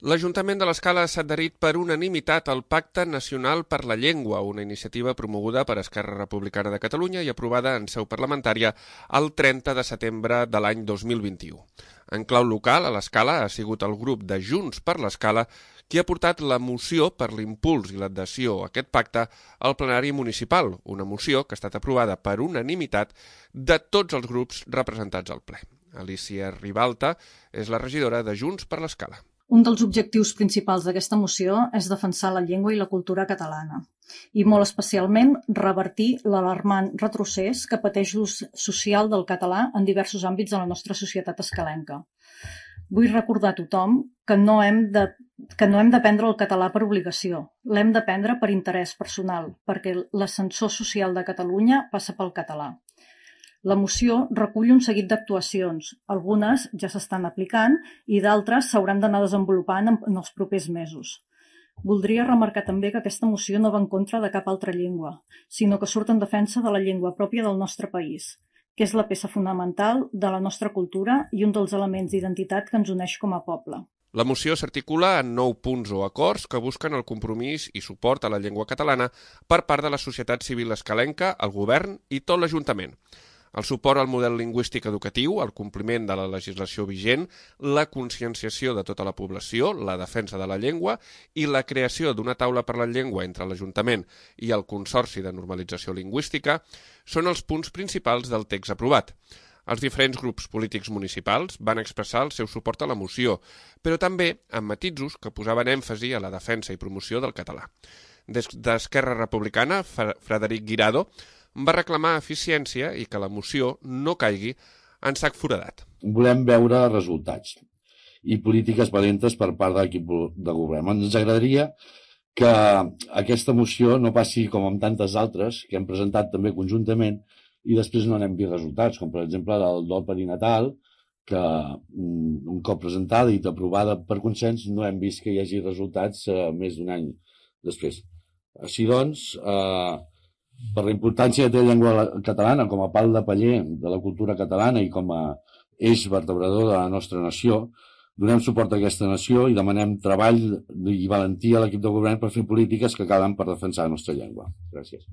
L'Ajuntament de l'Escala s'ha adherit per unanimitat al Pacte Nacional per la Llengua, una iniciativa promoguda per Esquerra Republicana de Catalunya i aprovada en seu parlamentària el 30 de setembre de l'any 2021. En clau local, a l'Escala, ha sigut el grup de Junts per l'Escala qui ha portat la moció per l'impuls i l'adhesió a aquest pacte al plenari municipal, una moció que ha estat aprovada per unanimitat de tots els grups representats al ple. Alicia Ribalta és la regidora de Junts per l'Escala. Un dels objectius principals d'aquesta moció és defensar la llengua i la cultura catalana i molt especialment revertir l'alarmant retrocés que pateix l'ús social del català en diversos àmbits de la nostra societat escalenca. Vull recordar a tothom que no hem d'aprendre el català per obligació, l'hem d'aprendre per interès personal, perquè l'ascensor social de Catalunya passa pel català. La moció recull un seguit d'actuacions, algunes ja s'estan aplicant i d'altres s'hauran d'anar desenvolupant en els propers mesos. Voldria remarcar també que aquesta moció no va en contra de cap altra llengua, sinó que surt en defensa de la llengua pròpia del nostre país, que és la peça fonamental de la nostra cultura i un dels elements d'identitat que ens uneix com a poble. La moció s'articula en 9 punts o acords que busquen el compromís i suport a la llengua catalana per part de la societat civil escalenca, el govern i tot l'Ajuntament. El suport al model lingüístic educatiu, el compliment de la legislació vigent, la conscienciació de tota la població, la defensa de la llengua i la creació d'una taula per la llengua entre l'Ajuntament i el Consorci de Normalització Lingüística són els punts principals del text aprovat. Els diferents grups polítics municipals van expressar el seu suport a la moció, però també amb matisos que posaven èmfasi a la defensa i promoció del català. Des d'Esquerra Republicana, Frederic Guirado va reclamar eficiència i que la moció no caigui en sac foradat. Volem veure resultats i polítiques valentes per part de l'equip de govern. Ens agradaria que aquesta moció no passi com amb tantes altres que hem presentat també conjuntament i després no n'hem vist resultats, com per exemple el dol perinatal, que un cop presentada i aprovada per consens no hem vist que hi hagi resultats més d'un any després. Així doncs, per la importància que té la llengua catalana com a pal de paller de la cultura catalana i com a eix vertebrador de la nostra nació, donem suport a aquesta nació i demanem treball i valentia a l'equip de govern per fer polítiques que calen per defensar la nostra llengua. Gràcies.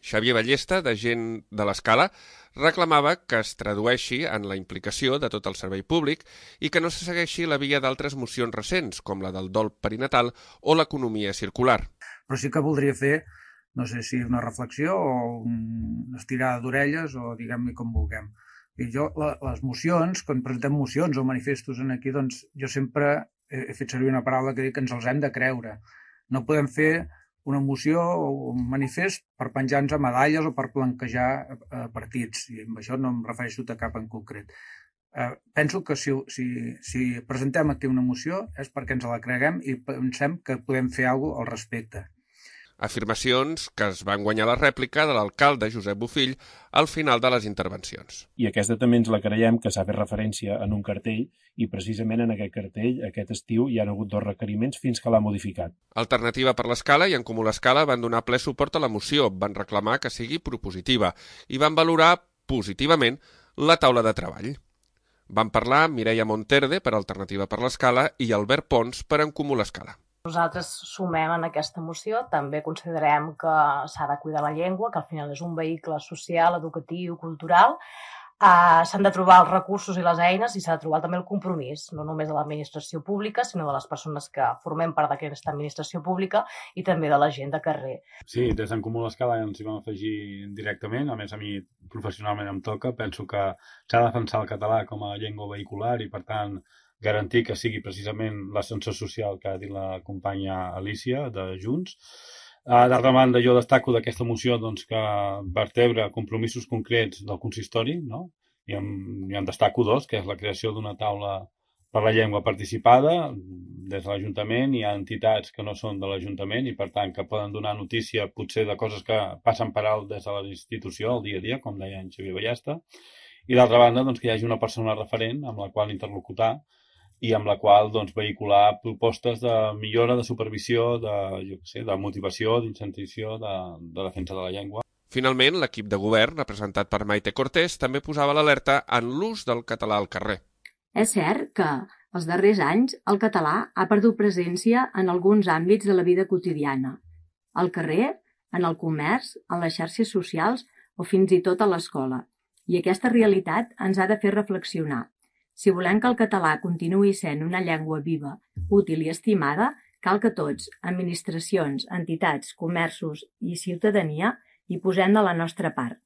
Xavier Ballesta, de Gent de l'Escala, reclamava que es tradueixi en la implicació de tot el servei públic i que no se segueixi la via d'altres mocions recents, com la del dol perinatal o l'economia circular. Però sí que voldria fer, no sé si una reflexió o una estirada d'orelles o diguem-li com vulguem. I jo, les mocions, quan presentem mocions o manifestos aquí, doncs jo sempre he fet servir una paraula que dic que ens els hem de creure. No podem fer una moció o un manifest per penjar-nos a medalles o per blanquejar partits, i amb això no em refereixo a cap en concret. Penso que si presentem aquí una moció és perquè ens la creguem i pensem que podem fer alguna cosa al respecte. Afirmacions que es van guanyar la rèplica de l'alcalde Josep Bofill al final de les intervencions. I aquesta també ens la creiem, que s'ha fet referència en un cartell, i precisament en aquest cartell, aquest estiu, hi ha hagut 2 requeriments fins que l'ha modificat. Alternativa per l'Escala i En Comú l'Escala van donar ple suport a la moció, van reclamar que sigui propositiva i van valorar positivament la taula de treball. Van parlar Mireia Monterde per Alternativa per l'Escala i Albert Pons per En Comú l'Escala. Nosaltres sumem en aquesta moció, també considerem que s'ha de cuidar la llengua, que al final és un vehicle social, educatiu, cultural. S'han de trobar els recursos i les eines i s'ha de trobar també el compromís, no només de l'administració pública, sinó de les persones que formem part d'aquesta administració pública i també de la gent de carrer. Sí, des d'en Comú l'Escala ens hi vam afegir directament, a més a mi professionalment em toca, penso que s'ha de defensar el català com a llengua vehicular i per tant garantir que sigui precisament l'ascensor social que ha dit la companya Alicia de Junts. D'altra banda, jo destaco d'aquesta moció doncs, que vertebra compromisos concrets del consistori, no? I en destaco 2, que és la creació d'una taula per la llengua participada des de l'Ajuntament. Hi ha entitats que no són de l'Ajuntament i, per tant, que poden donar notícia potser de coses que passen per alt des de la institució, el dia a dia, com deia en Xavier Ballesta. I, d'altra banda, doncs, que hi hagi una persona referent amb la qual interlocutar i amb la qual vehicular propostes de millora, de supervisió, de motivació, d'incentivació, de defensa de la llengua. Finalment, l'equip de govern, representat per Maite Cortés, també posava l'alerta en l'ús del català al carrer. És cert que Els darrers anys, el català ha perdut presència en alguns àmbits de la vida quotidiana. Al carrer, en el comerç, en les xarxes socials o fins i tot a l'escola. I aquesta realitat ens ha de fer reflexionar. Si volem que el català continuï sent una llengua viva, útil i estimada, cal que tots, administracions, entitats, comerços i ciutadania, hi posem de la nostra part.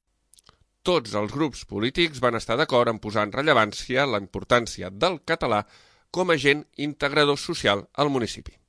Tots els grups polítics van estar d'acord en posar en rellevància la importància del català com a agent integrador social al municipi.